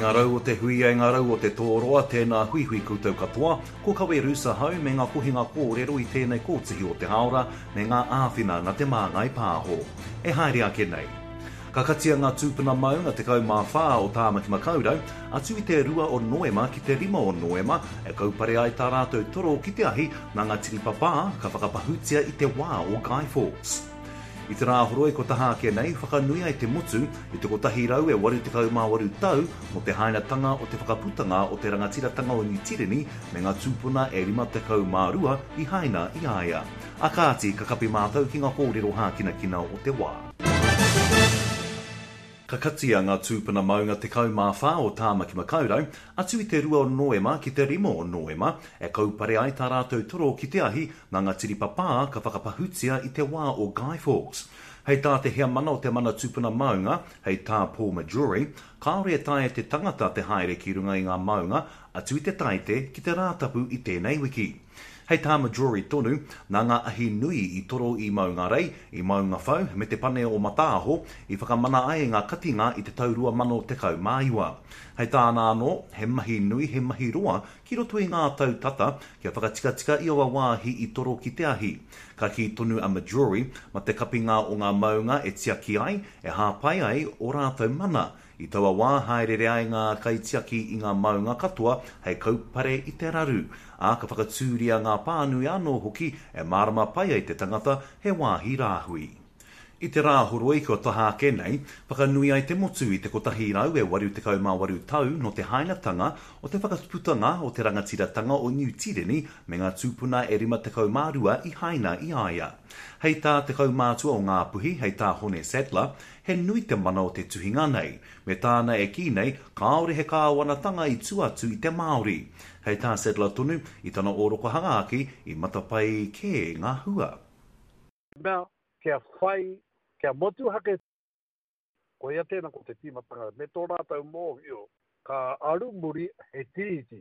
ngā rau o te huia, e ngā rau o te tōroa, tēnā huihui koutou katoa, ko Kawe Roos ahau me ngā kohinga kōrero i tēnei kōtihi o te hāora me ngā āwhina nā Te Māngai Pāho. E haere ake nei. Ka katia ngā tūpuna maunga 14 o Tāmaki Makaurau, atu i te rua o Noema ki te rima o Noema, e kaupare ai tā rātou toro ki te ahi nā ngā tiripapā ka whakapahutia i te wā o Guy Fawkes. I te Rāhoroi kua taha ake nei, whakanui ai te motu i te 188 tau mō te hainatanga o te whakaputanga o te rangatiratanga o Niu Tireni me ngā tūpuna e 52 i haina i a ia. A kāti, ka kapi mātou ki ngā kōrero hākinakina o te wā. Ka katia ngā tūpuna maunga 14 o Tāmaki Makaurau, atu i te rua o Noema ki te rima o Noema, e kaupare ai tā rātou toro ki te ahi nā ngā tiripapā ka whakapahutia i te wā o Guy Fawkes. Hei tā te heamana o te Mana Tūpuna Maunga, hei tā Paul Majurey, kāore e taea te tangata te haere ki runga i ngā maunga atu i te Taite ki te Rātapu i tēnei wiki. Hei tā Majorey tonu, nā ngā ahi nui i toro i Maungarei, i Maungawhau me te pane o Mataaho i whakamana ai ngā katinga i te tau 2019. Hei tāna anō, he mahi nui, he mahi roa ki roto i ngā tau tata kia whakatikatika i aua wāhi i toro ki te ahi. Ka kī tonu a Majorey, ma te kapinga o ngā maunga e tiaki ai, e hāpai ai ō rātou mana, I taua wā haereere ai ngā kaitiaki i ngā maunga katoa hei kaupare i te raru, ā, ka whakatūria ngā pānui anō hoki e mārama pai ai te tangata he wāhi rāhui. I te Rāhoroi kua taha ake nei, whakanui ai te motu i te 188 tau nō te hainatanga o te whakatuputanga o te rangatiratanga o Niu Tireni me ngā tūpuna e 52 i haina i a ia. Hei tā te kaumātua o Ngāpuhi, hei tā Hone Sadler, He nui te mana o te tuhinga nei, me tāna e kī nei kāore he kāwanatanga i tua atu i te Māori. Hei tā Sadler tonu, i tana ōrokohanga ake, i matapae kē ngā hua. Mea, kia whai, kia motuhake, koia tēnā ko te tīmatanga, me tō rātou mōhio, ka aru muri he tiriti,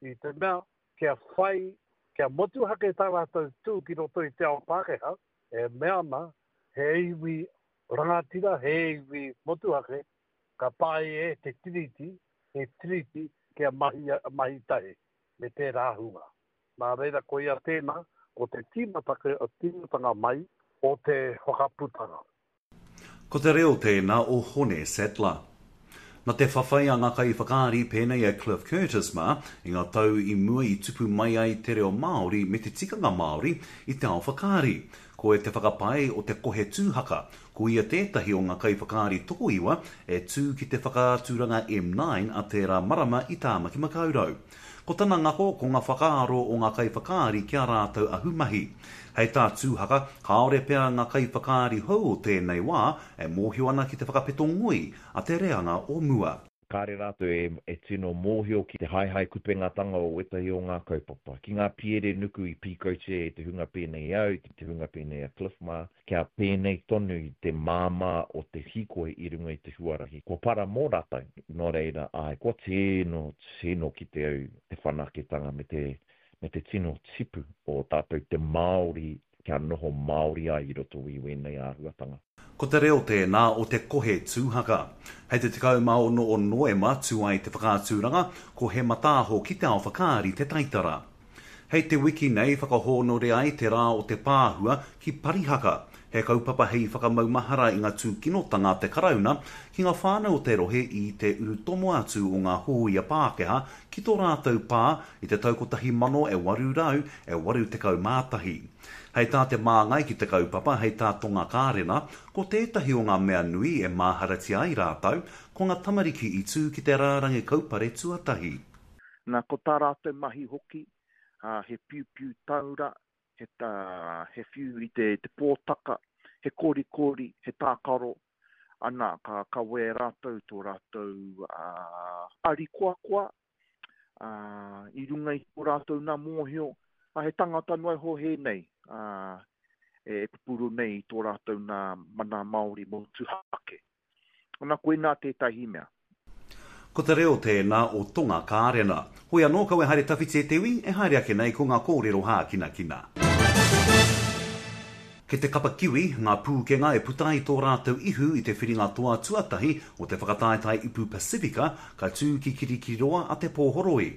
i te mea, kia whai, kia motuhake tā rātou tū ki roto i te ao Pākehā, e mea ana, he iwi rangatira, he iwi motuhake, ka taea e te Tiriti, he Tiriti kia mahi, mahi tahi me tērā hunga. Nā reira, koia tēnā, ko te tīmatanga mai o te whakaputanga. Ko te reo tēnā o Hone Sattler. Na te whawhai a nga kaiwhakaari pēnei a Cliff Curtis mā, i nga tau i mua i tupu mai ai te reo Māori me te tikanga Māori i te ao whakaari. Koe te whakapae o te kohe tūhaka, ko ia tētahi o nga kaiwhakaari tokoiwa e tū ki te whakaaturanga M9 a tērā marama i Tāmaki Makaurau. Ko tana ngako ko nga whakaaro o nga kaiwhakaari ki a rātou ahumahi. Hei tā Tūhaka, kāore pea nga kaiwhakaari hou o tēnei wā e mōhio ana ki te whakapeto ngoi a te reanga o mua. Kāre rātou e tino mōhio ki te haehae kupengatanga o wētahi o ngā kaupapa, ki ngā piere nuku i pīkautia e te hunga pēnei i au, te hunga pēnei a Cliff mā, kia pēnei tonu te māmā o te hīkoi i runga i te huarahi kua para mō rātou. Nō reira, āe, kua tino, tino kite au te whanaketanga me te, me te tino tipu o tātou te Māori kia noho Māori ai i roto i wēnei āhuatanga. Ko te reo tēnā o te kohe tūhaka. Hei te 16 o Noema tū ai te whakaaturanga, ko He Mataaho ki te Ao Whakaari te taitara. Hei te wiki nei whakahōnore ai te Rā o te Pāhua ki Parihaka, he kaupapa hei whakamaumahara i ngā tūkinotanga a te Karauna ki ngā whānau o te rohe i te urutomo atu o ngā hōia Pākehā ki tō rātou pā i te tau 1881. Hei tā te māngai ki te kaupapa, hei tā Tonga Kārena, ko tētahi o ngā mea nui e māharatia ai rātou, ko ngā tamariki i tū ki te rārangi kaupare tuatahi. Na, ko tā rātou mahi hoki, he piupiu taura, he, he whiu i te, te pōtaka, he korikori, he tākaro, ana, ka kawē rātou tō rātou arikoakoa, ā, i runga i tō rātou nā mōhio, ā, he tangata noa iho hēnei, ā, e pupuru nei i tō rātou nā mana Māori motuhake. Ana, koinā tētahi mea. Ko te reo tēnā o Tonga Kārena. Hoi anō, kaua e haere tawhiti e te iwi, e haere ake nei ko ngā kōrero hākinakina. Ki te kapa Kiwi, ngā pūkenga e puta ai tō rātou ihu i te whiringa toa tuatahi o te whakataetae Ipu Pasifika ka tū ki Kirikiriroa a Te Pōhoroi.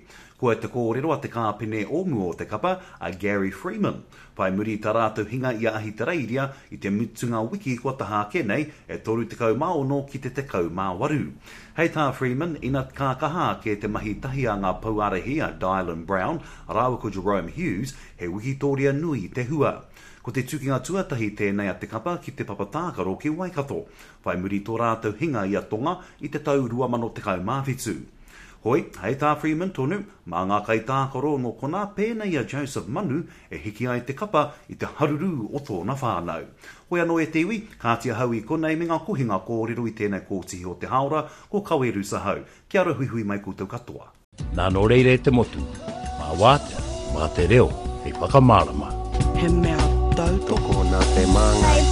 Koia te kōrero a te kāpene o mua o te kapa, a Gary Freeman. Whai muri i tā rātou hinga i a Ahitereiria i te mutunga wiki kua taha ake nei, e 36 ki te 18. Hei tā Freeman, ina ka kaha ake te mahi tahi a ngā pouārahi a Dylan Brown rāua ko Jahrome Hughes, he wikitōria nui te hua. Ko te tukinga tuatahi tēnei a te kapa ki te papa tākaro ki Waikato, whai muri tō rātou hinga i a Tonga i te tau 2017. Hoi, hei tā Freeman tonu, mā ngā kaitākaro nō konā pēnei i a Joseph Manu e hiki ai te kapa i te haruru o tōna whānau. Hoi anō e te iwi, kāti ahau i konei me ngā kohinga kōrero i tēnei kōtihi o te hāora, ko Kawe Rusa hau. Kia ora huihui mai koutou katoa. Nā nō reira e te motu, mā Wātea, mā te reo hei whakamārama. He mea tautoko. Tokona te māngai.